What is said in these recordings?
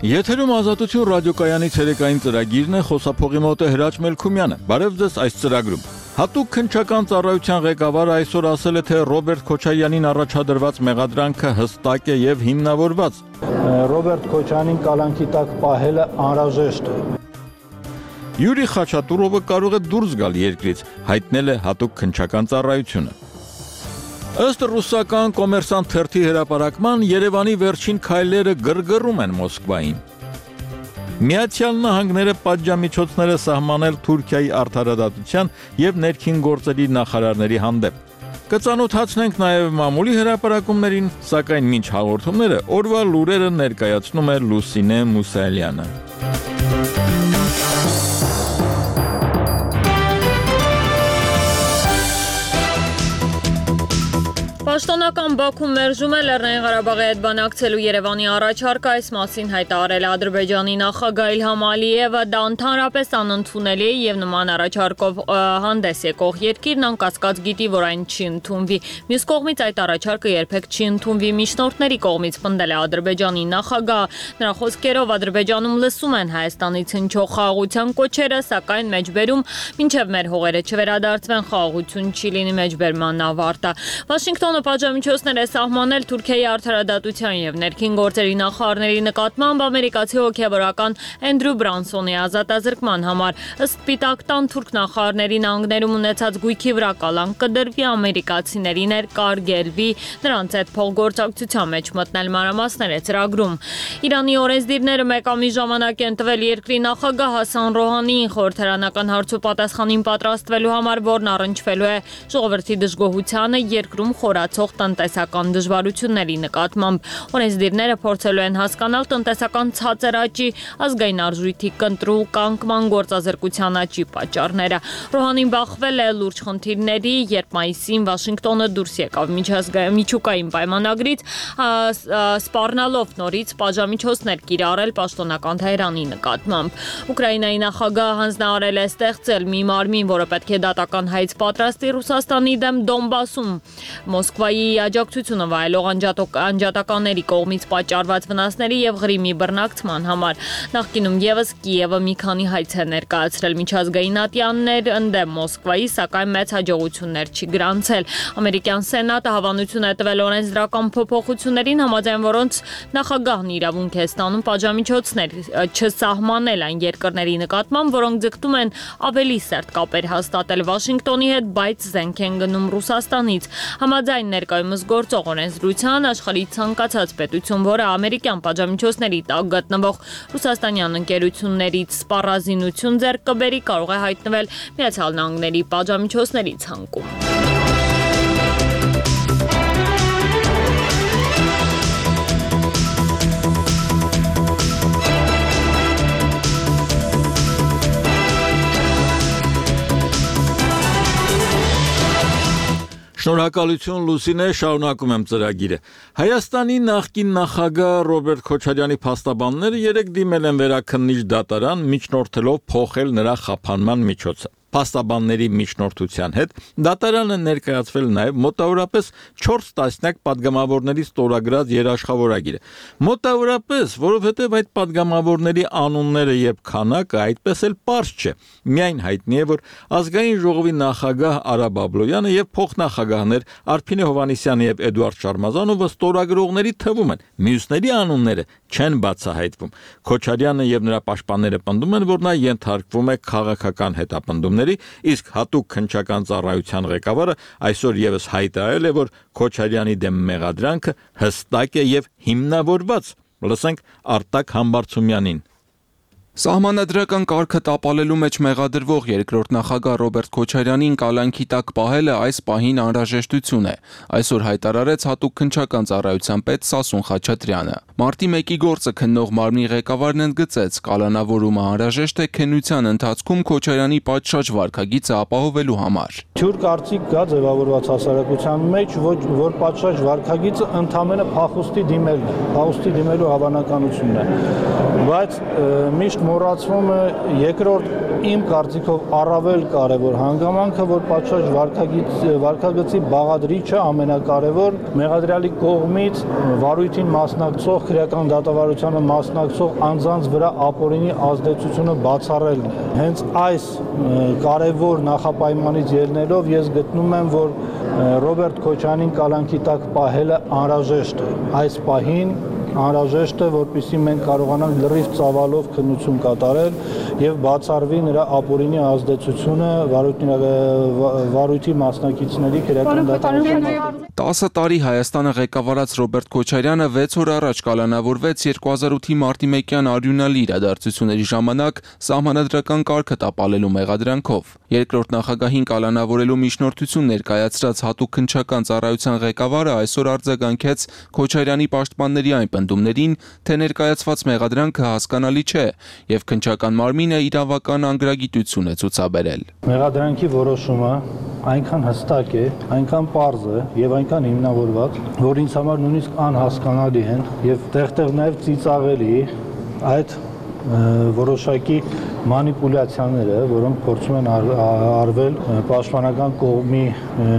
Եթերում Ազատություն ռադիոկայանի ցերեկային ծրագիրն է, խոսափողի մոտ է Հրաչ Մելքումյանը։ Բարև ձեզ այս ծրագրում։ Հատուկ քննչական ծառայության ղեկավարը այսօր ասել է, թե Ռոբերտ Քոչարյանին առաջադրված մեղադրանքը հստակ է եւ հիմնավորված։ Ռոբերտ Քոչարյանին կալանքի տակ պահելը անհրաժեշտ է։ Յուրի Խաչատուրովը կարող է դուրս գալ երկրից, հայտնել է հատուկ քննչական ծառայությունը։ Ըստ ռուսական կոմերսանտ թերթի հրապարակման, Երևանի վերջին քայլերը գրգռում են Մոսկվային։ Միացյալ Նահանգները պատժամիջոցներ է սահմանել Թուրքիայի արդարադատության եւ ներքին գործերի նախարարների հանդեպ։ Կծանոթացնենք նաեւ մամուլի հրապարակումներին, սակայն մինչ հաղորդումները օրվա լուրերը ներկայացնում է Լուսինե Մուսալյանը։ Պաշտոնական Բաքուն մերժում է Լեռնային Ղարաբաղի հետ բանակցելու Երևանի առաջարկը, այս մասին հայտարարել է Ադրբեջանի նախագահ Իլհամ Ալիևը, դա ընդհանրապես անընդունելի է եւ նման առաջարկով հանդես եկող երկիրն անկասկած գիտի, որ այն չի ընդունվի։ Մյուս կողմից այդ առաջարկը երբեք չի ընդունվի, միջնորդների կողմից պնդել է Ադրբեջանի նախագահ։ Նրա խոսքերով Ադրբեջանում լսում են Հայաստանից հնչող խաղաղության կոչերը, սակայն մեջբերում մինչև մեր հողերը չվերադարձվեն, խաղաղություն չի լինի, մեջբերման ավարտը։ Վաշինգտոնը պատժամիջոցներ է սահմանել Թուրքիայի արդարադատության եւ ներքին գործերի նախարարների նկատմամբ ամերիկացի հոգեվորական Էնդրյու Բրանսոնի ազատազրկման համար։ Ըստ Սպիտակ տան թուրք նախարարների նահանգներում ունեցած գույքի վրա կալանք կդրվի, ամերիկացիների ներկարգելվի, նրանց հետ փոխգործակցության մեջ մտնել մանրամասներ է ծրագրում։ Իրանի օրենսդիրները մեկ ամիս ժամանակ են տվել երկրի նախագահ Հասան Ռոհանիին խորհրդարանական հարցու պատասխանին պատրաստվելու համար, որն առնչվելու է ժողովրդի դժգոհությանը երկրում խորացող տնտեսական դժվարությունների նկատմամբ։ Օրենսդիրները փորձելու են հասկանալ տնտեսական ցածր աճի, ազգային արժույթի կընտրու կանկման, գործազրկության աճի պատճառները։ Ռոհանին բախվել է լուրջ խնդիրների, երբ մայիսին Վաշինգտոնը դուրս եկավ միջուկային պայմանագրից, սպառնալով նորից պատժամիջոցներ կիրառել պաշտոնական Թեհրանի նկատմամբ։ Ուկրաինայի նախագահը հանձնարարել է ստեղծել մի մարմին, որը պետք է դատական հայց պատրաստի Ռուսաստանի դեմ Դոնբասում Մոսկվայի աջակցությունը վայելող անջատականների կողմից պատճառված վնասների եւ Ղրիմի բռնակցման համար։ Նախկինում եւս Կիևը մի քանի հայց է ներկայացրել միջազգային ատյաններ ընդդեմ Մոսկվայի, սակայն մեծ հաջողություններ չի գրանցել։ Ամերիկյան Սենատը հավանություն է տվել օրենսդրական փոփոխություններին, համաձայն որոնց նախագահն իրավունք է ստանում պատժամիջոցներ չսահմանել այն երկրների նկատմամբ, որոնք ձգտում են ավելի սերտ կապեր հաստատել Վաշինգտոնի հետ, բայց զենք են գնում Ռուսաստանից։ Համաձայն ներկայումս գործող օրենսդրության, աշխարհի ցանկացած պետություն, որը ամերիկյան պատժամիջոցների տակ գտնվող ռուսաստանյան ընկերություններից սպառազինություն ձեռք կբերի, կարող է հայտնվել Միացյալ Նահանգների պատժամիջոցների ցանկում։ Շնորհակալություն Լուսինե, շարունակում եմ ծրագիրը։ Հայաստանի նախկին նախագահ Ռոբերտ Քոչարյանի փաստաբանները երեկ դիմել են վերաքննիչ դատարան, միջնորդելով փոխել նրա խափանման միջոցը։ Փաստաբանների միջնորդության հետ դատարանը ներկայացվել նաև մոտավորապես 4 տասնյակ падգամավորների ստորագրած երաշխավորագիրը։ Մոտավորապես, որովհետև այդ падգամավորների անունները եւ քանակը այդպես էլ պարզ չէ։ Միայն հայտնի է, որ ազգային ժողովի նախագահ Արա Բաբլոյանը եւ փոխնախագահներ Արփինե Հովհաննիսյանը եւ Էդուարդ Շարմազանովը ստորագրողների թվում են։ Մյուսների անունները չեն բացահայտվում։ Քոչարյանը եւ նրա պաշտպանները պնդում են, որ նա ենթարկվում է քաղաքական հետապնդումների, իսկ հատուկ քննչական ծառայության ղեկավարը այսօր եւս հայտարարել է, որ Քոչարյանի դեմ մեղադրանքը հստակ է եւ հիմնավորված։ Լսենք Արտակ Համբարձումյանին։ Սահմանադրական կարգը տապալելու մեջ մեղադրվող երկրորդ նախագահ Ռոբերտ Քոչարյանին կալանքի տակ պահելը այս պահին անհրաժեշտություն է, այսօր հայտարարեց հատուկ քննչական ծառայության պետ Սասուն Խաչատրյանը։ Մարտի 1-ի գործը քննող մարմնի ղեկավարն ընդգծեց, կալանավորումը անհրաժեշտ է քննության ընթացքում Քոչարյանի պատշաճ վարքագիծը ապահովելու համար։ Թյուր կարծիք կա ձևավորված հասարակության մեջ, որ պատշաճ վարքագիծը ընդամենը փախուստի դիմելն է, փախուստի դիմելու հավանականությունն է, բայց միշտ մոռացվում է երկրորդ իմ կարծիքով առավել կարևոր հանգամանքը, որ պատշաճ վարքագծի բաղադրիչը ամենակարևոր մեղադրյալի կողմից վարույթին մասնակցող, քրեական դատավարությանը մասնակցող անձանց վրա ապօրինի ազդեցությունը բացառելն է։ Հենց այս կարևոր նախապայմանից ելնելով ես գտնում եմ, որ Ռոբերտ Քոչարյանին կալանքի տակ պահելը անհրաժեշտ է։ Այս պահին անհրաժեշտ է, որպեսզի մենք կարողանանք լրիվ ծավալով քննություն կատարել եւ բացառվի նրա ապօրինի ազդեցությունը վարույթի մասնակիցների քրեական դատավարության։ 10 տարի Հայաստանը ղեկավարած Ռոբերտ Քոչարյանը 6 օր առաջ կալանավորվեց 2008-ի մարտի 1-յան արյունալի իրադարձությունների ժամանակ սահմանադրական կարգը տապալելու մեղադրանքով։ Երկրորդ նախագահին կալանավորելու միջնորդություն ներկայացրած հատուկ քննչական ծառայության ղեկավարը այսօր արձագանքեց Քոչարյանի պաշտպանների այն պնդումներին, թե ներկայացված մեղադրանքը հասկանալի չէ եւ քննչական մարմինը իրավական անգրագիտություն է ցուցաբերել։ Մեղադրանքի որոշումը այնքան հստակ է, այնքան պարզ է եւ այնքան հիմնավորված, որ ինձ համար նույնիսկ անհասկանալի են եւ տեղ-տեղ նաեւ ծիծաղելի այդ որոշակի մանիպուլյացիաները, որոնք փորձում են արվել պաշտպանական կողմի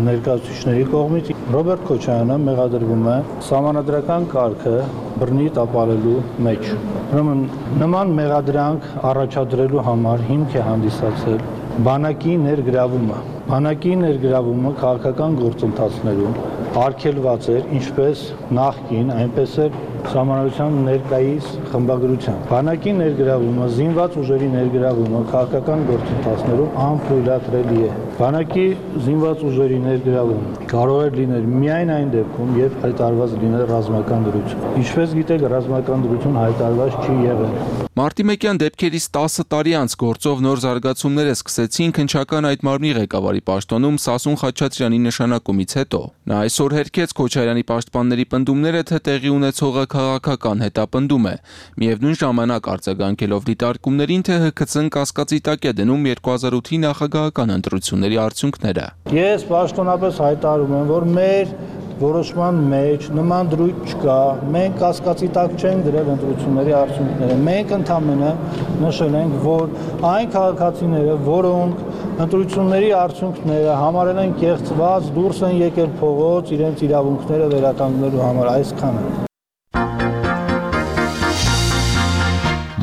ներկայացուցիչների կողմից։ Ռոբերտ Քոչարյանը մեղադրվում է սահմանադրական կարգը բռնի տապալելու մեջ։ Ուրեմն նման մեղադրանք առաջադրելու համար հիմք է հանդիսացել բանակի ներգրավումը։ Բանակի ներգրավումը քաղաքական գործընթացներում արգելված էր ինչպես նախկին, այնպես էլ Սահմանադրության ներկայիս խմբագրության։ Բանակի ներգրավումը, զինված ուժերի ներգրավումը քաղաքական գործընթացներում անթույլատրելի է։ Բանակի զինված ուժերի ներգրավումը կարող է լինել միայն այն դեպքում, երբ հայտարարված լինել ռազմական դրություն։ Ինչպես գիտեք, ռազմական դրություն հայտարարված չի եղել։ Մարտի 1-յան դեպքերից 10 տարի անց գործով նոր զարգացումներ սկսեցին քննչական այդ մարմնի ղեկավարի պաշտոնում Սասուն Խաչատրյանի նշանակումից հետո։ Նա այսօր հերքեց Քոչարյանի պաշտպանների պնդումները, թե տեղի ունեցողը քաղաքական հետապնդում է, միևնույն ժամանակ արձագանքելով դիտարկումներին, թե ՀՔՑ-ն կասկածի տակ է դնում 2008-ի նախագահական ընտրությունների արդյունքները։ Ես պաշտոնապես հայտարարում եմ, որ մեր որոշման մեջ նման դրույթ չկա, մենք կասկածի տակ չենք դրել ընտրությունների արդյունքները։ Մենք ընդհանրապես նշել ենք, որ այն քաղաքացիները, որոնք ընտրությունների արդյունքները համարել են կեղծված, դուրս են եկել փողոց իրենց իրավունքները վերականգնելու համար, այսքանը։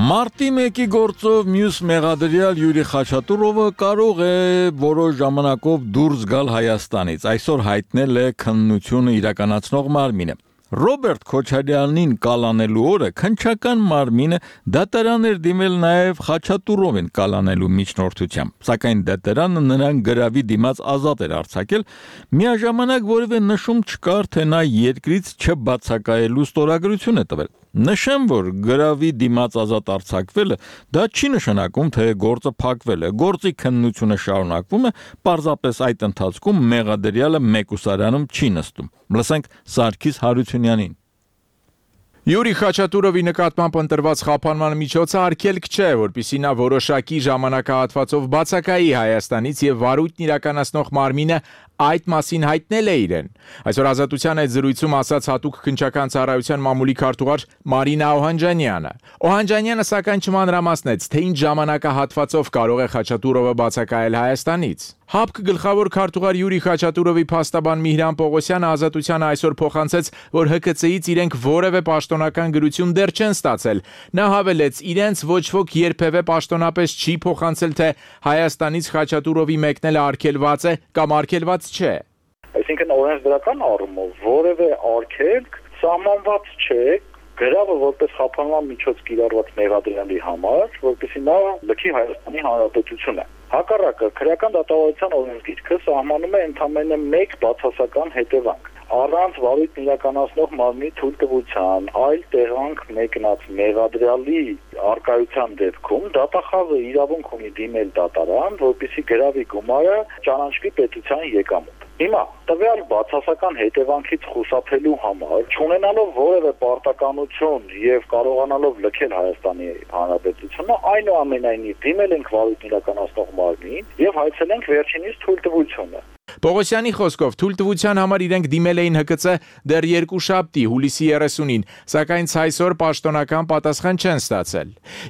Մարտի 1-ի գործով մյուս մեղադրյալ Յուրի Խաչատուրովը կարող է որոշ ժամանակով դուրս գալ Հայաստանից, այսօր հայտնել է քննությունը իրականացնող մարմինը։ Ռոբերտ Քոչարյանին կալանելու օրը քննչական մարմինը դատարան էր դիմել նաև Խաչատուրովին կալանելու միջնորդությամբ, սակայն դատարանը նրան գրավի դիմաց ազատ էր արձակել, միաժամանակ որևէ նշում չկար, թե նա երկրից չբացակայելու ստորագրություն է տվել։ Նշեմ, որ գրավի դիմաց ազատ արձակվելը դա չի նշանակում, թե գործը փակվել է, գործի քննությունը շարունակվում է, պարզապես այդ ընթացքում մեղադրյալը մեկուսարանում չի նստում։ Լսենք Սարգիս Հարությունյանին։ Յուրի Խաչատուրովի նկատմամբ ընտրված խափանման միջոցը արգելք չէ, որպեսզի նա որոշակի ժամանակահատվածով բացակայի Հայաստանից եւ վարույթն իրականացնող մարմինը այդ մասին հայտնել է իրեն։ Այսօր Ազատության այդ զրույցում ասաց հատուկ քննչական ծառայության մամուլի քարտուղար Մարինա Օհանջանյանը։ Օհանջանյանը սակայն չմանրամասնեց, թե ինչ ժամանակահատվածով կարող է Խաչատուրովը բացակայել Հայաստանից։ ՀԱՊԿ գլխավոր քարտուղար Յուրի Խաչատուրովի փաստաբան Միհրան Պողոսյանը Ազատությանը այսօր փոխանցեց, որ ՀԿՑ-ից իրենք որևէ պաշտոնական գրություն դեռ չեն ստացել։ Նա հավելեց, իրենց ոչ ոք երբևէ պաշտոնապես չի փոխանցել, թե Հայաստանից Խաչատուրովի մեկնելը արգելված է կամ արգելված չէ։ Այսինքն օրենսդրական առումով որևէ արգելք սահմանված չէ, գրավը որպես խափանման միջոց կիրառված մեղադրյալի համար, որպեսզի նա լքի Հայաստանի Հանրապետությունը։ Հակառակը, քրեական դատավարության օրենսգիրքը սահմանում է ընդամենը մեկ բացասական հետևանք։ Առանց վարույթն իրականացնող մարմնի թույլտվության այլ տեղանք մեկնած մեղադրյալի արկայության դեպքում դատախազը իրավունք ունի դիմել դատարան, որպեսզի գրավի գումարը ճանաչվի պետության եկամուտ։ Հիմա տվյալ բացասական հետևանքից խուսափելու համար, չունենալով որևէ պարտականություն եւ կարողանալով լքել Հայաստանի Հանրապետությունը, այնուամենայնիվ դիմել ենք վարույթն իրականացնող մարմնին եւ հայցել ենք վերջինիս թույլտվությունը։ Պողոսյանի խոսքով թույլտվության համար իրենք դիմել էին ՀԿՑ դեռ երկուշաբթի հուլիսի 30-ին, սակայն ցայսօր պաշտոնական պատասխան չեն ստացել։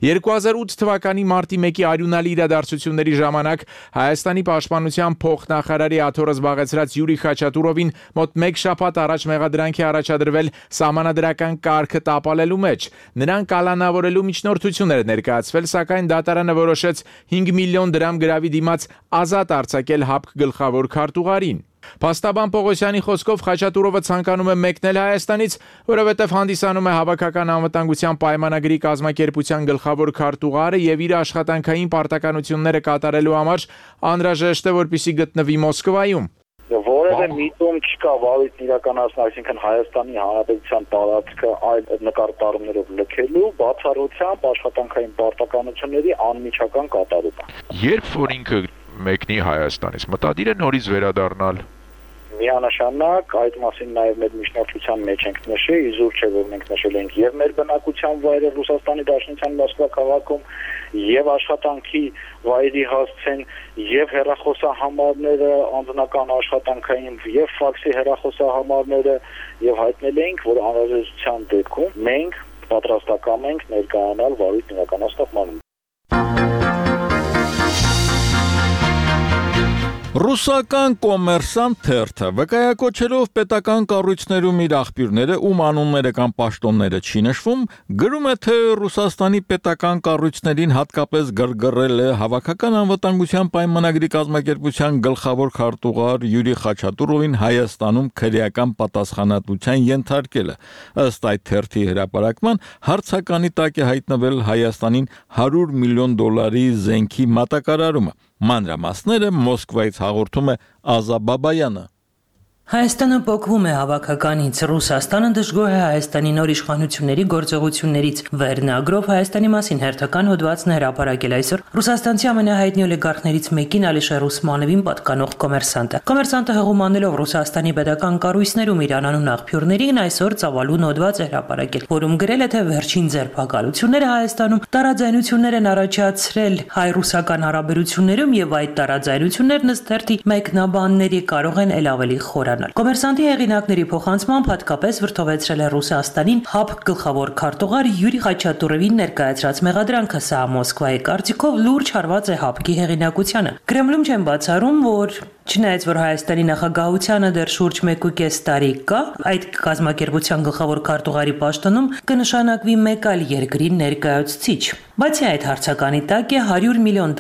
2008 թվականի մարտի 1-ի արյունալի իրադարձությունների ժամանակ Հայաստանի պաշտպանության փոխնախարարի աթոռը զբաղեցրած Յուրի Խաչատուրովին մոտ 1 շաբաթ առաջ մեղադրանք է առաջադրվել սահմանադրական կարգը տապալելու մեջ։ Նրան կալանավորելու միջնորդություններ ներկայացվել, սակայն դատարանը որոշեց 5 միլիոն դրամ գրավի դիմաց ազատ արձակել ՀԱՊԿ գլխավոր քարտուղարին։ Փաստաբան Պողոսյանի խոսքով Խաչատուրովը ցանկանում է մեկնել Հայաստանից, որովհետև հանդիսանում է հավաքական անվտանգության պայմանագրի կազմակերպության գլխավոր քարտուղարը եւ իր աշխատանքային պարտականությունները կատարելու համար անհրաժեշտ է, որպեսզի գտնվի Մոսկվայում։ Որևէ միտում չկա վարույթն իրականացնել, այսինքն Հայաստանի Հանրապետության տարածքը այլ նկարտառումներով լքելու, բացառությամբ աշխատանքային պարտականությունների անմիջական կատարումը։ Երբ որ ինքը մեկնի Հայաստանից, մտադիր է նորից վերադառնալ։ Միանշանակ այդ մասին նաև մեր միջնորդության մեջ ենք նշել, իզուր չէ որ մենք նշել ենք եւ մեր բնակության վայրը Ռուսաստանի Դաշնության Մոսկվա քաղաքում եւ աշխատանքի վայրի հասցեն եւ հեռախոսահամարները, անձնական աշխատանքային եւ ֆաքսի հեռախոսահամարները եւ հայտնել ենք, որ անհրաժեշտության դեպքում մենք պատրաստական ենք ներկայանալ վարույթ իրականացնող մանրում։ Ռուսական կոմերսանտ թերթը վկայակոչելով պետական կառույցներում իր աղբյուրները, ում անունները կամ պաշտոնները չի նշվում, գրում է, թե Ռուսաստանի պետական կառույցներին հատկապես գրգռել է հավաքական անվտանգության պայմանագրի կազմակերպության գլխավոր քարտուղար Յուրի Խաչատուրովին Հայաստանում քրեական պատասխանատվության ենթարկելը։ Ըստ այդ թերթի հրապարակման հարցականի տակ է հայտնվել Հայաստանին $100 միլիոն զենքի մատակարարումը։ Մանրամասները Մոսկվայից հաղորդում է Ազա Բաբայանը։ Հայաստանը փոխվում է հավաքականից, Ռուսաստանը դժգոհ է Հայաստանի նոր իշխանությունների գործողություններից։ Վերնագրով Հայաստանի մասին հերթական հոդվածն է հրապարակել այսօր ռուսաստանցի ամենահայտնի օլիգարխներից մեկին Ալիշեր Ուսմանովին պատկանող կոմերսանտը։ Կոմերսանտը հղումանելով Ռուսաստանի պետական կառույցներում իր անանուն աղբյուրներին այսօր ծավալուն հոդված է հրապարակել, որում գրել է, թե վերջին ձերբակալությունները Հայաստանում տարաձայնություններ են առաջացրել հայ-ռուսական հարաբերություններում եւ այդ տարաձայնություններն ըստ թերթի մեկնաբանների կարող են ել ավելի խորը։ Կոմերսանտի հեղինակների փոխանցմամբ հատկապես վրդովեցրել է Ռուսաստանին ՀԱՊԿ գլխավոր քարտուղար Յուրի Խաչատուրովին ներկայացրած մեղադրանքը, սա Մոսկվայի կարծիքով լուրջ հարված է ՀԱՊԿ-ի հեղինակությանը։ Կրեմլում չեն բացառում, որ չնայած որ Հայաստանի նախագահությանը դեռ շուրջ 1.5 տարի կա, այդ կազմակերպության գլխավոր քարտուղարի պաշտոնում կնշանակվի մեկ այլ երկրի ներկայացուցիչ։ Բացի այդ հարցականի տակ է $100 միլիոն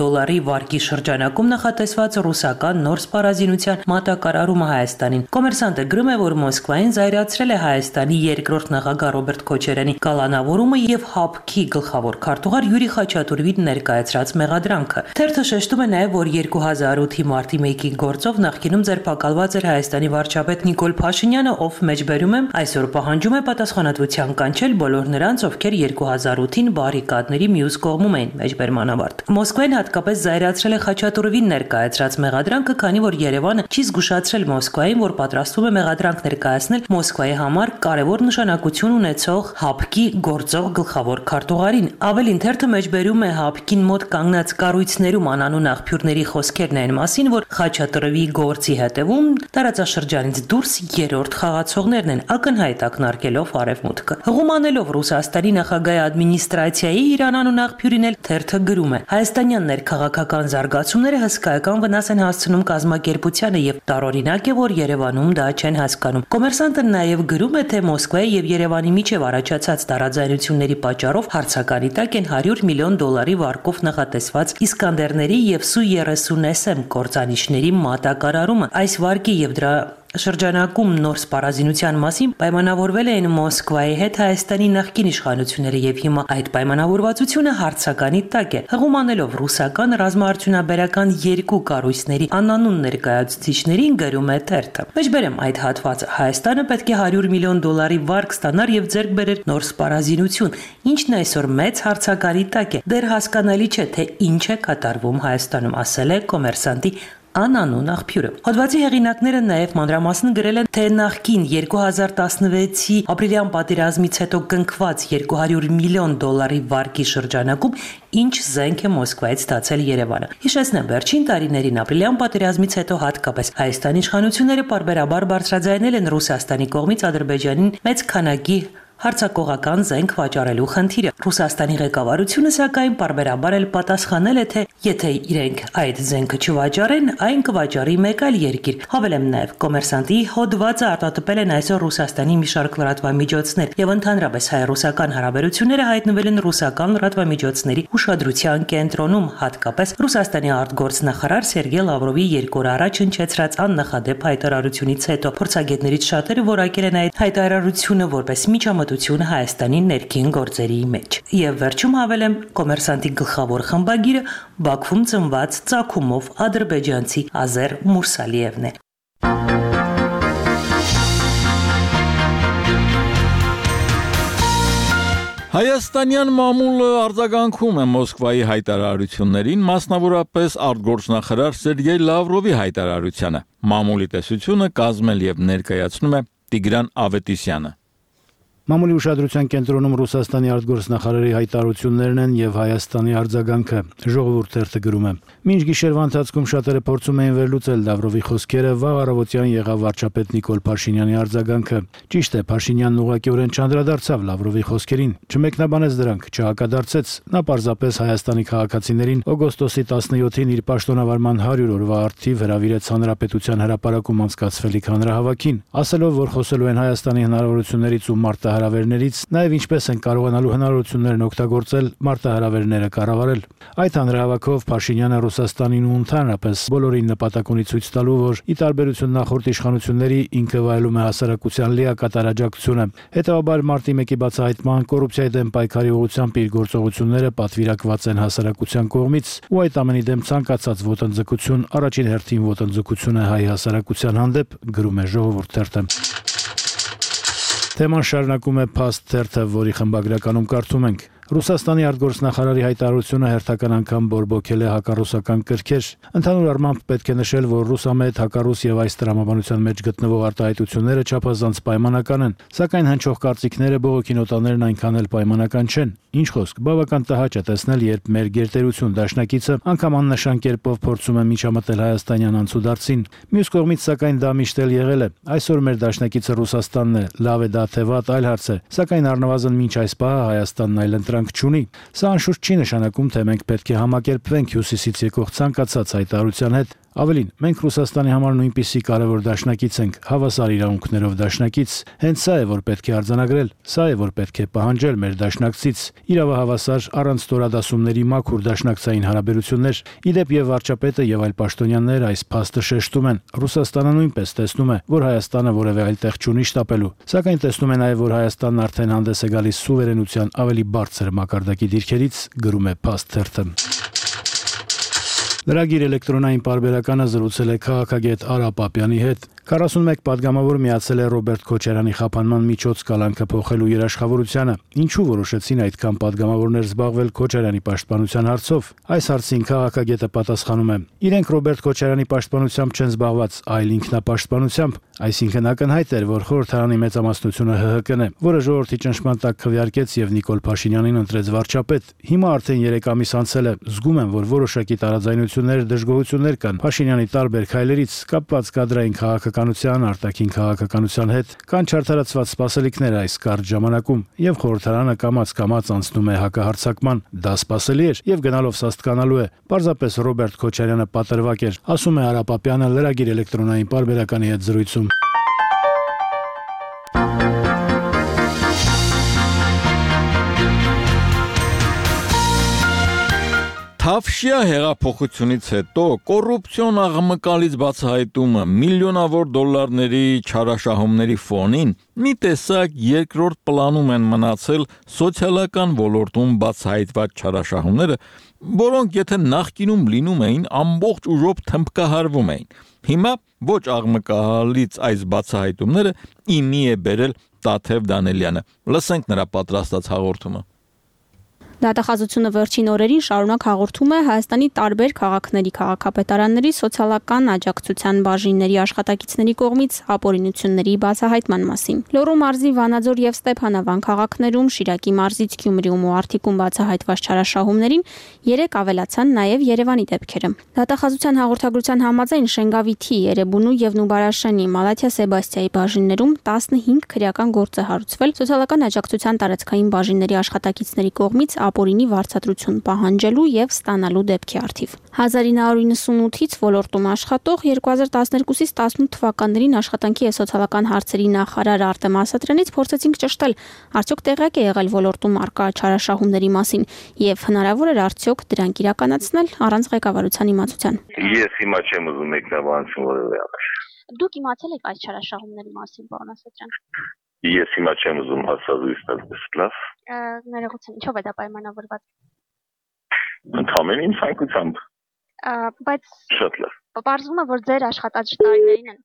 վարկի շրջանակում նախատեսված ռուսական նոր սպառազինության մատակարարումը Հայաստանին։ Կոմերսանտը գրում է, որ Մոսկվային զայրացրել է Հայաստանի երկրորդ նախագահ Ռոբերտ Քոչարյանի կալանավորումը եւ ՀԱՊԿ-ի գլխավոր քարտուղար Յուրի Խաչատուրովին ներկայացրած մեղադրանքը։ Թերթը շեշտում է նաեւ, որ 2008-ի մարտի 1-ի գործով նախկինում ձերբակալված էր Հայաստանի վարչապետ Նիկոլ Փաշինյանը, ով մեջբերում է այսօր պահանջում է պատասխանատվության կանչել բոլոր նրանց, ովքեր 2008-ին բարիկադների մյուս կողմում էին մեջբերման ավարտ։ Մոսկվային հատկապես զայրացրել է Խաչատուրովին ներկայացրած մեղադրանքը, քանի որ Երևանը չի զգուշացրել Մոսկվային, որ պատրաստվում է մեղադրանք ներկայացնել Մոսկվայի համար կարևոր նշանակություն ունեցող ՀԱՊԿ-ի գործող գլխավոր քարտուղարին։ Ավելին թերթը մեջբերում է ՀԱՊԿ-ին մոտ կանգնած կառույցներում անանուն աղբյուրների խոսքերն այն մասին, որ Խաչատուրովի գործի հետևում տարածաշրջանից դուրս երրորդ խաղացողներն են, ակնհայտ ակնարկելով Արևմուտքը։ Հղումանելով Ռուսաստանի նախագահի ադմինիստրացիայի իր անանուն աղբյուրին էլ թերթը գրում է. Հայաստանյան ներքաղաքական զարգացումները հսկայական վնաս են հասցնում կազմակերպությանը եւ տարօրինակ է, որ Երևանում դա չեն հասկանում։ Կոմերսանտը նաեւ գրում է, թե Մոսկվայի եւ Երևանի միջև առաջացած տարաձայնությունների պատճառով հարցականի տակ են $100 միլիոն վարկով նախատեսված Իսկանդերների եւ Su-30SM կործանիչների մատակարարումը։ Այս վարկի եւ դրա շրջանակում նոր սպառազինության մասին պայմանավորվել էին Մոսկվայի հետ Հայաստանի նախկին իշխանությունները եւ հիմա այդ պայմանավորվածությունը հարցականի տակ է։ Հղումանելով ռուսական ռազմաարդյունաբերական երկու կառույցների անանուն ներկայացուցիչներին գրում է թերթը։ Մեջբերեմ այդ հատվածը. Հայաստանը պետք է $100 միլիոն վարկ ստանար եւ ձեռք բերեր նոր սպառազինություն, ինչն այսօր մեծ հարցականի տակ է։ Դեռ հասկանալի չէ, թե ինչ է կատարվում Հայաստանում, ասել է կոմերսանտի անանուն աղբյուրը։ Հոդվածի հեղինակները նաև մանրամասն գրել են, թե նախկին 2016-ի ապրիլյան պատերազմից հետո կնքված $200 միլիոն վարկի շրջանակում ինչ զենք է Մոսկվայից ստացել Երևանը։ Հիշեցնեմ, վերջին տարիներին ապրիլյան պատերազմից հետո հատկապես Հայաստանի իշխանությունները պարբերաբար բարձրաձայնել են Ռուսաստանի կողմից Ադրբեջանին մեծ քանակի հարցակողական զենք վաճառելու խնդիրը։ Ռուսաստանի ղեկավարությունը սակայն պարբերաբար էլ պատասխանել է, թե եթե իրենք այդ զենքը չվաճառեն, այն կվաճառի մեկ այլ երկիր։ Հավելեմ նաև, Կոմերսանտի հոդվածը արտադրվել են այսօր Ռուսաստանի մի շարք լրատվամիջոցներ եւ ընդհանրապես հայ-ռուսական հարաբերությունները հայտնվել են ռուսական լրատվամիջոցների ուշադրության կենտրոնում, հատկապես Ռուսաստանի արտգործնախարար Սերգեյ Լավրովի 2 օր առաջ հնչեցրած աննախադեպ հայտարարությունից հետո փորձագետներից շատերը որակել են այդ հայտարարությունը որպես միջամտություն Հայաստանի ներքին գործերի մեջ։ Եվ վերջում հավելեմ, Կոմերսանտի գլխավոր խմբագիրը Բաքվում ծնված ծագումով ադրբեջանցի Ազեր Մուրսալիևն է։ Հայաստանյան մամուլը արձագանքում է Մոսկվայի հայտարարություններին, մասնավորապես արտգործնախարար Սերգեյ Լավրովի հայտարարությանը։ Մամուլի տեսությունը կազմել եւ ներկայացնում է Տիգրան Ավետիսյանը։ Մամուլի ուշադրության կենտրոնում Ռուսաստանի արտգործնախարարի հայտարարություններն են եւ Հայաստանի արձագանքը։ Ժողովուրդ թերթը գրում է. Մինչ գիշերվա ընթացքում շատերը փորձում էին վերլուծել Լավրովի խոսքերը, վաղ առավոտյան եղավ վարչապետ Նիկոլ Փաշինյանի արձագանքը։ Ճիշտ է, Փաշինյանն ուղղակիորեն չանդրադարձավ Լավրովի խոսքերին, չմեկնաբանեց դրանք, չհակադարձեց։ Նա պարզապես Հայաստանի քաղաքացիներին օգոստոսի 17-ին իր պաշտոնավարման 100 օրվա արդիվ հրավիրեց Հանրապետության հրապարակում անցկացվելիք հանրահավաքին, ասելով, որ խոսելու են Հայաստանի հնարավորություններից ու մարտահրավերներից, նաև ինչպես են կարողանալու հնարավորություններն օգտագործել մարտահրավերները կառավարել։ Այդ հանրահավաքով Փաշինյանը Ռուսաստանին ու ընդհանրապես բոլորին նպատակ ունի ցույց տալու, որ ի տարբերություն նախորդ իշխանությունների ինքը վայելում է հասարակության լիակատար աջակցությունը։ Հետևաբար մարտի 1-ի բացահայտման կոռուպցիայի դեմ պայքարի ուղղությամբ իր գործողությունները պատվիրակված են հասարակության կողմից, ու այդ ամենի դեմ ցանկացած ոտնձգություն առաջին հերթին ոտնձգություն է հայ հասարակության հանդեպ, գրում է Ժողովուրդ թերթը։ Թեման շարունակում է Փաստ թերթը, որի խմբագրականում կարդում ենք. Ռուսաստանի արտգործնախարարի հայտարարությունը հերթական անգամ բորբոքել է հակառուսական կրքեր։ Ընդհանուր առմամբ պետք է նշել, որ ռուսամետ հակառուս եւ այս տրամաբանության մեջ գտնվող արտահայտությունները չափազանց պայմանական են, սակայն հնչող կարծիքները բողոքի նոտաներն այնքան էլ պայմանական չեն։ Ինչ խոսք, բավական տհաճ է տեսնել, երբ մեր գերտերություն դաշնակիցը անգամ աննշան կերպով փորձում է միջամտել հայաստանյան անցուդարձին։ Մյուս կողմից, սակայն դա միշտ էլ եղել է։ Այսօր մեր դաշնակիցը Ռուսաստանն է, լավ է դա թե վատ, այլ հարց է, սակայն առնվազն մինչ այս պահը Հայաստանն այլ ընտրանք չունի։ Սա անշուշտ չի նշանակում, թե մենք պետք է համակերպվենք հյուսիսից եկող ցանկացած հայտարարության հետ։ Ավելին, մենք Ռուսաստանի համար նույնպիսի կարևոր դաշնակից ենք, հավասար իրավունքներով դաշնակից։ Հենց սա է, որ պետք է արձանագրել, սա է, որ պետք է պահանջել մեր դաշնակցից։ Իրավահավասար, առանց ստորադասումների մաքուր դաշնակցային հարաբերություններ։ Իդեպ եւ վարչապետը եւ այլ պաշտոնյաներ այս փաստը շեշտում են։ Ռուսաստանը նույնպես տեսնում է, որ Հայաստանը որևէ այլ տեղ չունի շտապելու։ Սակայն տեսնում է նաեւ, որ Հայաստանն արդեն հանդես է գալիս սուվերենության ավելի բարձր մակարդակի դիրքերից, գրում է Փաստ թերթը։ Լրագիր էլեկտրոնային պարբերականը զրուցել է քաղաքագետ Արա Պապյանի հետ։ 41 падգամավոր միացել է Ռոբերտ Քոչարյանի խափանման միջոց կալանքը փոխելու երաշխավորությանը։ Ինչու որոշեցին այդքան падգամավորներ զբաղվել Քոչարյանի պաշտպանության հարցով։ Այս հարցին քաղաքագետը պատասխանում է. իրենք Ռոբերտ Քոչարյանի պաշտպանությամբ չեն զբաղված, այլ ինքնապաշտպանությամբ։ Այսինքն ակնհայտ էր, որ խորհրդարանի մեծամասնությունը ՀՀԿ-ն է, որը ժողովրդի ճնշման տակ քվեարկեց եւ Նիկոլ Փաշինյանին ընտրեց վարչապետ։ Հիմա արդեն 3 ամիս անցել է, զգում եմ, որ որոշակի տարաձայնություններ, դժգոհություններ կան Փաշինյանի տարբեր քայլերից, կապված կադրային քաղաքականության, արտաքին քաղաքականության հետ, կան չարդարացված սպասելիքներ այս կարճ ժամանակում, եւ խորհրդարանը կամաց անցնում է հակահարձակման։ Դա սպասելի էր եւ գնալով սաստկանալու է։ Պարզապես Ռոբերտ Քոչարյանը պատրվակ էր, ասում է Արա Պապյանը լրագիր էլեկտրոնային պարբերականի հետ զրույցում։ Թավշյա հեղափոխությունից հետո կոռուպցիոն աղմկալից բացահայտումը միլիոնավոր դոլարների չարաշահումների ֆոնին մի տեսակ երկրորդ պլանում են մնացել սոցիալական ոլորտում բացահայտված չարաշահումները, որոնք եթե նախկինում լինում էին, ամբողջ ուժով թմբկահարվում էին։ Հիմա ոչ աղմկահալից այս բացահայտումները իմի է բերել Տաթև Դանելյանը։ Լսենք նրա պատրաստած հաղորդումը։ Դատախազությունը վերջին օրերին շարունակ հաղորդում է Հայաստանի տարբեր քաղաքների քաղաքապետարանների սոցիալական աջակցության բաժինների աշխատակիցների կողմից ապօրինությունների բացահայտման մասին։ Լոռու մարզի Վանաձոր եւ Ստեփանավան քաղաքներում, Շիրակի մարզից Գյումրիում ու Արտիկում բացահայտված չարաշահումներին 3 ավելացան նաեւ Երևանի դեպքերը։ Դատախազության հաղորդագրության համաձայն Շենգավիթի, Երևանու եւ Նուբարաշենի, Մալաթիա Սեբաստիայի բաժիններում 15 քրեական գործ է հարուցվել սոցիալական աջակցության տարածքային բաժինների աշխատակիցների կողմից ապօրինի վարձատրություն պահանջելու եւ ստանալու դեպքի առթիվ։ 1998-ից ոլորտում աշխատող 2012-ից 18 թվականներին աշխատանքի եւ սոցիալական հարցերի նախարար Արտեմ Ասատրյանից փորձեցինք ճշտել, արդյոք տեղյակ է եղել ոլորտում արկա չարաշահումների մասին եւ հնարավոր էր արդյոք դրանք իրականացնել առանց ղեկավարության իմացության։ Ես հիմա չեմ ուզում մեկնաբանություն որևէ անել։ Դուք իմացել եք այս չարաշահումների մասին, պարոն Ասատրյան։ Ես հիմա չեմ ուզում հաստատույց տալ, լավ։ Ներողություն, ինչով է դա պայմանավորված։ Ընդհանրեն ինձ ցանկությամբ։ Բայց շատ լավ։ Պարզվում է, որ ձեր աշխատած տարիներին են։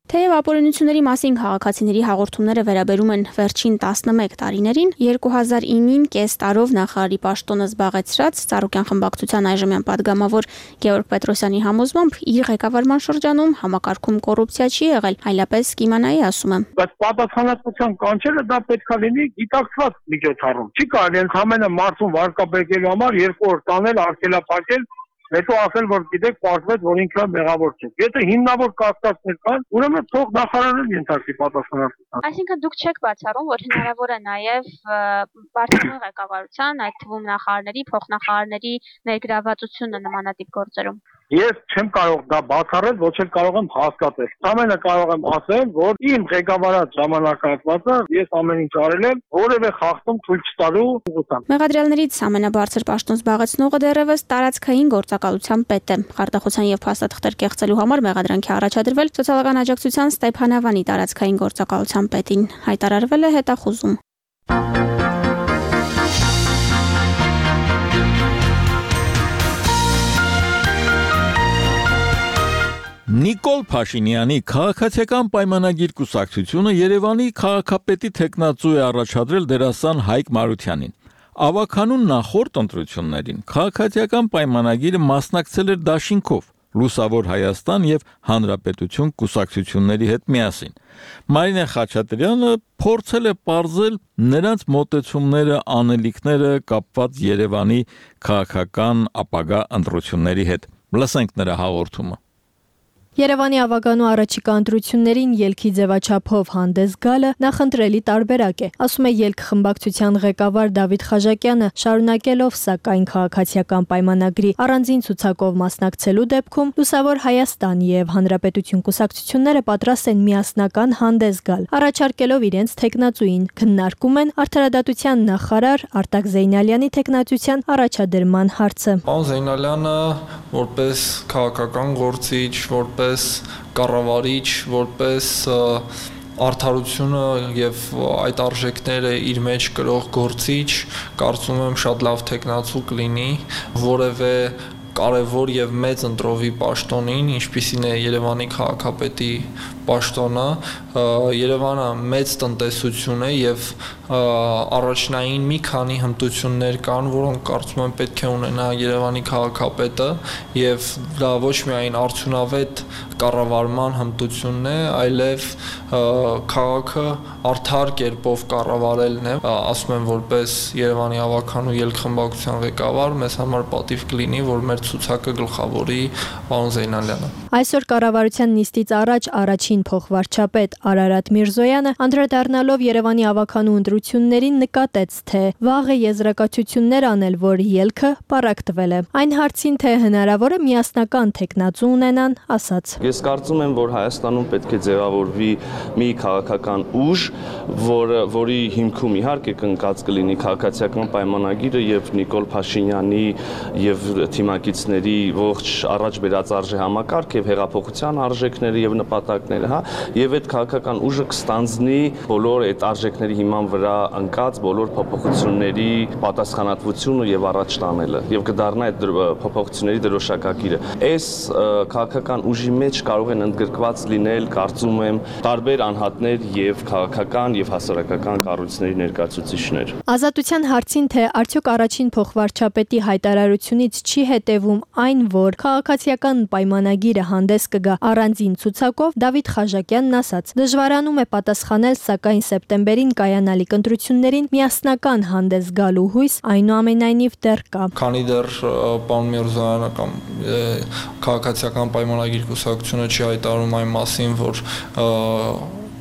Թեև ապօրինությունների մասին քաղաքացիների հաղորդումները վերաբերում են վերջին 11 տարիներին, 2009-ին կես տարով նախարարի պաշտոնը զբաղեցրած Ծառուկյան խմբակցության այժմյան падգամավոր Գեորգ Պետրոսյանի համոզմամբ իր ղեկավարման շրջանում համակարգում կոռուպցիա չի եղել, այլապես կիմանայի ասում է։ Բայց պատասխանատվության կանչելը դա պետք է լինի գիտակցված միջոցառում։ Չի կարելի ընդհանրապես մարդուն վարկաբեկելու համար 2 օր տանել, արգելափակել, հետո ասել, որ գիտեք, պարզվեց, որ ինքը մեղավոր չէ։ Եթե հիմնավոր կասկածներ կան, ուրեմն թող նախարարը ենթարկվի պատասխանատվության։ Այսինքն դուք չեք բացառում, որ հնարավոր է նաև Պարտիզանի ղեկավարության, այդ թվում նախարարների, փոխնախարարների ներգրավվածությունը նմանատիպ գործերում։ Ես չեմ կարող դա բացառել, ոչ էլ կարող եմ հասկացել։ Ամենը կարող եմ ասել, որ իմ ղեկավարած ժամանակահատվածը ես ամեն ինչ արել եմ, որևէ խախտում թույլ չտալու ուղղությամբ։ Մեղադրյալներից ամենաբարձր պաշտոն զբաղեցնողը դեռևս տարածքային գործակալության պետ է։ Խարտախության եւ փաստաթղթեր կեղծելու համար մեղադրանքի առաջադրվել սոցիալական աջակցության Ստեփանավանի տարածքային գործակալության պետին։ Հայտարարվել է հետախուզում։ Նիկոլ Փաշինյանի քաղաքացիական պայմանագիր կուսակցությունը Երևանի քաղաքապետի թեկնածու է առաջադրել դերասան Հայկ Մարությանին։ Ավականուն նախորդ ընտրություններին քաղաքացիական պայմանագիրը մասնակցել էր դաշինքով Լուսավոր Հայաստան եւ Հանրապետություն կուսակցությունների հետ միասին։ Մարինե Խաչատրյանը փորձել է պարզել նրանց մոտեցումները, անելիքները կապված Երևանի քաղաքական ապագա ընտրությունների հետ։ Լսենք նրա հաղորդումը։ Երևանի ավականու առաջիկա ընտրություններին ելքի ձևաչափով հանդես գալը նախընտրելի տարբերակ է, ասում է ելք խմբակցության ղեկավար Դավիթ Խաժակյանը, շարունակելով սակայն քաղաքացիական պայմանագրի առանձին ցուցակով մասնակցելու դեպքում Լուսավոր Հայաստան եւ Հանրապետություն կուսակցությունները պատրաստ են միասնական հանդես գալ, առաջարկելով իրենց թեկնածուին, քննարկում են արդարադատության նախարար Արտակ Զեյնալյանի թեկնածության առաջադրման հարցը։ Պարոն Զեյնալյանը որպես քաղաքական գործիչ, որպես կառավարիչ, որպես արդարությունը եւ այդ արժեքները իր մեջ կրող գործիչ, կարծում եմ շատ լավ թեկնածու կլինի, որևէ կարևոր եւ մեծ ընտրովի պաշտոնին, ինչպիսին է Երևանի քաղաքապետի պաշտոնը, Երևանը մեծ տնտեսություն է եւ առաջնային մի քանի հմտություններ կան, որոնք կարծում եմ պետք է ունենա Երևանի քաղաքապետը եւ դա ոչ միայն արդյունավետ կառավարման հմտությունն է, այլև քաղաքը արդար կերպով կառավարելն է, ասում եմ որպես Երևանի ավականու ելք խմբակցության ղեկավար, մեզ համար պատիվ կլինի, որ մեր ցուցակը գլխավորի պարոն Զեյնալյանը։ Այսօր կառավարության նիստից առաջ առաջին փոխվարչապետ Արարատ Միրզոյանը անդրադառնալով Երևանի ավականու ընտրություններին նկատեց, թե վաղ է եզրակացություններ անել, որ ելքը պառակտվել է։ Այն հարցին, թե հնարավոր է միասնական թեկնածու ունենան, ասաց. Ես կարծում եմ, որ Հայաստանում պետք է ձևավորվի մի քաղաքական ուժ, որի հիմքում իհարկե կնկած կլինի քաղաքացիական պայմանագիրը եւ Նիկոլ Փաշինյանի եւ թիմակիցների ողջ առաջ բերած արժե համակարգ եւ հեղափոխության արժեքները եւ նպատակները, հա, եւ այդ քաղաքական ուժը կստանձնի բոլոր այդ արժեքների հիման վրա ընկած բոլոր փոփոխությունների պատասխանատվությունը եւ առաջ տանելը եւ կդառնա այդ փոփոխությունների դրոշակակիրը։ Այս քաղաքական ուժի մեջ մեջ կարող են ընդգրկված լինել, կարծում եմ, տարբեր անհատներ եւ քաղաքական եւ հասարակական կառույցների ներկայացուցիչներ։ Ազատության հարցին թե արդյոք առաջին փոխվարչապետի հայտարարությունից չի հետևում այն, որ քաղաքացիական պայմանագիրը հանդես կգա առանձին ցուցակով, Դավիթ Խաժակյանն ասաց. դժվարանում է պատասխանել, սակայն սեպտեմբերին կայանալիք ընտրություններին միասնական հանդես գալու հույս այնուամենայնիվ դեռ կա։ Քանի դեռ պարոն Միրզոյանը կամ քաղաքացիական պայմանագիր կուսակցությունը չի հայտարարում այն մասին, որ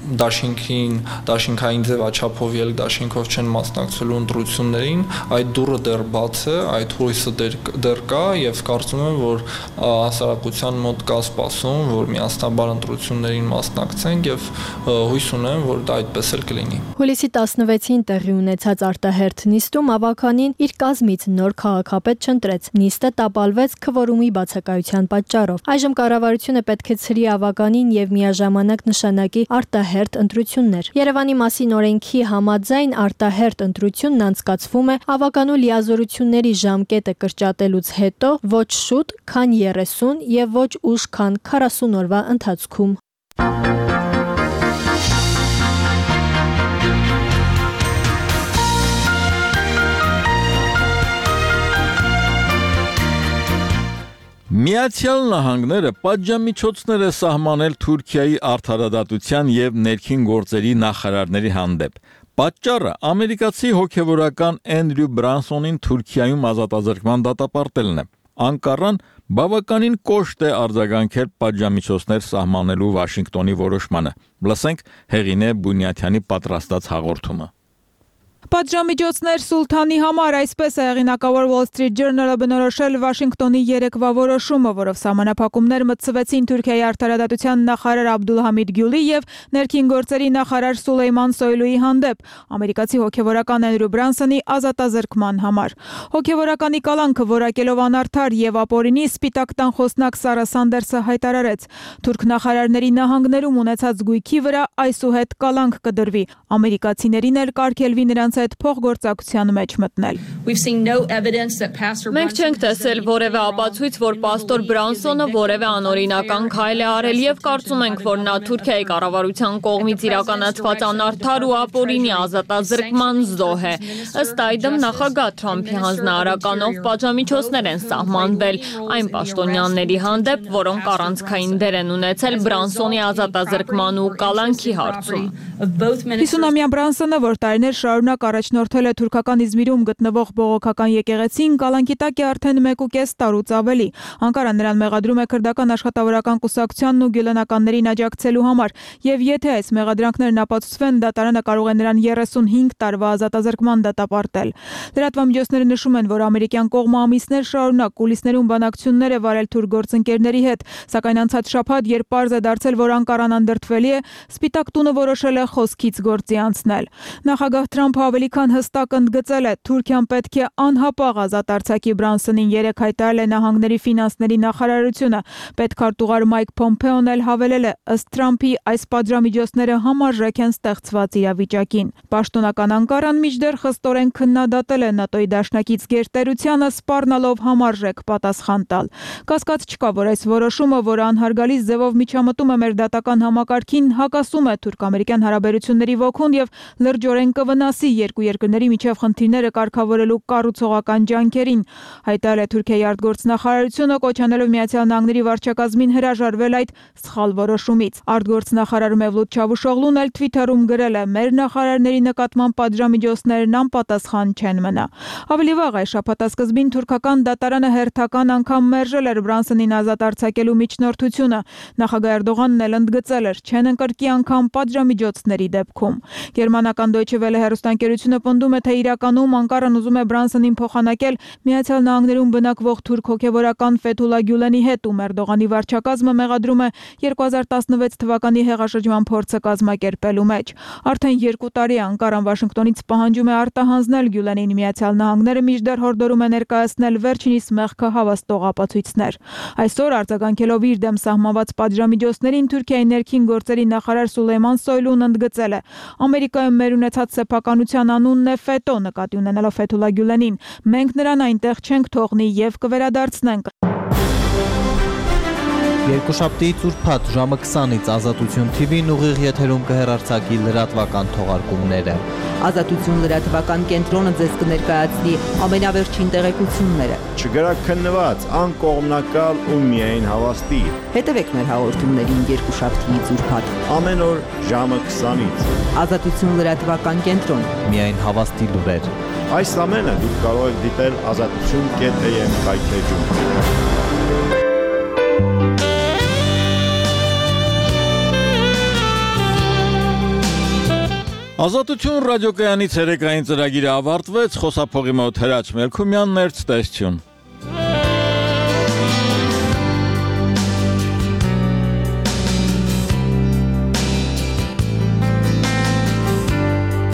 դաշինքային ձևաչափով ելք դաշինքով չեն մասնակցելու ընտրություններին, այդ դուռը դեռ բաց է, այդ հույսը դեռ կա եւ կարծում եմ, որ հասարակության մոտ կա սպասում, որ միասնաբար ընտրություններին մասնակցենք եւ հույս ունեմ, որ դա այդպես էլ կլինի։ Հուլիսի 16-ին տեղի ունեցած արտահերթ նիստում Ավականին իր կազմից նոր քաղաքապետ չընտրեց։ Նիստը տապալվեց քվորումի բացակայության պատճառով։ Այժմ կառավարությունը պետք է ցրի Ավականին եւ միաժամանակ նշանակի արտահերթ ընտրություններ։ Երևանի մասին օրենքի համաձայն արտահերթ ընտրությունն անցկացվում է Ավականու լիազորությունների ժամկետը կրճատելուց հետո ոչ շուտ, քան 30 եւ ոչ ուշ, քան 40 օրվա ընթացքում։ Միացյալ Նահանգները պատժամիջոցներ է սահմանել Թուրքիայի արդարադատության եւ ներքին գործերի նախարարների հանդեպ։ Պատճառը ամերիկացի հոգևորական Էնդրյու Բրանսոնին Թուրքիայում ազատազրկման դատապարտելն է։ Անկարան բավականին կոշտ է արձագանքել պատժամիջոցներ սահմանելու Վաշինգտոնի որոշմանը։ Լսենք Հեղինե Բունյաթյանի պատրաստած հաղորդումը։ Պատժամիջոցներ Սուլթանի համար, այսպես է հեղինակավոր Wall Street Journal-ը բնորոշել Վաշինգտոնի երեկվա որոշումը, որով սահմանափակումներ մտցվեցին Թուրքիայի արդարադատության նախարար Աբդուլհամիդ Գյուլի եւ ներքին գործերի նախարար Սուլեյման Սոյլուի հանդեպ ամերիկացի հոգևորական Էնդրյու Բրանսոնի ազատազրկման համար։ Հոգևորականի կալանքը որակելով անարդար եւ ապօրինի սպիտակ տան խոսնակ Սարա Սանդերսը հայտարարեց. Թուրք նախարարների նահանգներում ունեցած գույքի վրա այսուհետ կալանք կդրվի։ Ամերիկացիներին էլ կարգելվի նրանց հետ փոխգործակցության մեջ մտնել։ Մենք չենք տեսել որևէ ապացույց, որ պաստոր Բրանսոնը որևէ անօրինական քայլ է արել եւ կարծում ենք, որ նա Թուրքիայի կառավարության կողմից իրականացված անարդար ու ապօրինի ազատազրկման զոհ է։ Ըստ այդմ նախագահ Թրամփի հանձնարարականով պատժամիջոցներ են սահմանվել այն պաշտոնյաների հանդեպ, որոնք առանցքային դեր են ունեցել Բրանսոնի ազատազրկման ու կալանքի հարցում։ 50-ամյա Բրանսոնը, որ տարիներ շարունակ առաջնորդել է թուրքական Իզմիրում գտնվող բողոքական եկեղեցին, կալանքի տակ է արդեն 1.5 տարուց ավելի։ Անկարան նրան մեղադրում է քրդական աշխատավորական կուսակցությանն ու գյուլենականներին աջակցելու համար, եւ եթե այս մեղադրանքներն ապացուցվեն, դատարանը կարող է նրան 35 տարվա ազատազրկման դատապարտել։ Լրատվամիջոցները նշում են, որ ամերիկյան կողմը ամիսներ շարունակ կուլիսներում բանակցություններ է վարել թուրք գործընկերների հետ, սակայն անցած շաբաթ, երբ պարզ է դարձել, որ Անկարան անդրդվելի է, Սպիտակ տունը որոշել է խոսքից գործի անցնել։ Նախագահ Թրամփը ավելի քան հստակ ընդգծել է, Թուրքիան պետք է անհապաղ ազատ արձակի Բրանսոնին, երեկ հայտարարել է Նահանգների ֆինանսների նախարարությունը։ Պետքարտուղար Մայք Փոմփեոն էլ հավելել է, ըստ Թրամփի, այս պատժամիջոցները համարժեք են ստեղծված իրավիճակին։ Պաշտոնական Անկարան մինչդեռ խստորեն քննադատել է ՆԱՏՕ-ի դաշնակից գերտերությանը, սպառնալով համարժեք պատասխան տալ։ Կասկած չկա, որ այս որոշումը, որը անհարգալից ձևով միջամտում է մեր դատական համակարգին, հակասում է թուրք-ամերիկյան հարաբերությունների ոգուն եւ լրջորեն կվնասի երկու երկրների միջև խնդիրները կարգավորելու կառուցողական ջանքերին, հայտարարել է Թուրքիայի արտգործնախարարությունը, կոչ անելով Միացյալ Նահանգների վարչակազմին հրաժարվել այդ սխալ որոշումից։ Արտգործնախարար Մևլութ Չավուշօղլուն էլ Twitter-ում գրել է. «Մեր նախարարների նկատմամբ պատժամիջոցներն անպատասխան չեն մնա»։ Ավելի վաղ այս շաբաթասկզբին թուրքական դատարանը հերթական անգամ մերժել էր Բրանսոնին ազատ արձակելու միջնորդությունը։ Նախագահ Էրդողանն էլ ընդգծել էր, չեն ընկրկի անգամ պատժամիջոցների դեպքում։ Գերմանական Deutsche Welle հեռուստաընկերությունը պնդում է, թե իրականում Անկարան ուզում է Բրանսոնին փոխանակել Միացյալ Նահանգներում բնակվող թուրք հոգևորական Ֆեթուլա Գյուլենի հետ, ում Էրդողանի վարչակազմը մեղադրում է 2016 թվականի հեղաշրջման փորձը կազմակերպելու մեջ։ Արդեն 2 տարի Անկարան Վաշինգտոնից պահանջում է արտահանձնել Գյուլենին Միացյալ Նահանգները, մինչդեռ հորդորում է ներկայացնել վերջինիս մեղքը հավաստող ապացույցներ։ Այսօր արձագանքելով իր դեմ սահմանված պատժամիջոցներին, Թուրքիայի ներքին գործերի նախարար Սուլեյման Սոյլուն ընդգծել է. Ամերիկայում մեր ունեցած սեփականության անունն է Ֆետո, նկատի ունենալով Ֆեթուլա Գյուլենին։ Մենք նրան այնտեղ չենք թողնի եւ կվերադարձնենք։ Երկուշաբթիից ուրբաթ ժամը 20-ից Ազատություն TV-ն ուղիղ եթերում կհեռարձակի լրատվական թողարկումները։ Ազատություն լրատվական կենտրոնը ձեզ կներկայացնի ամենավերջին տեղեկությունները։ Չգրակ քննված, անկողմնակալ ու միայն հավաստի։ Հետևեք մեր հաղորդումներին երկուշաբթիից ուրբաթ։ Ամեն օր ժամը 20-ից։ Ազատություն լրատվական կենտրոն։ Միայն հավաստի լուրեր։ Այս ամենը դուք կարող եք դիտել azatutun.am կայքեջում։ Ազատություն ռադիոկայանի ցերեկային ծրագիրը ավարտվեց, խոսափողի մոտ Հրաչ Մելքումյանն էր, ցտեսություն։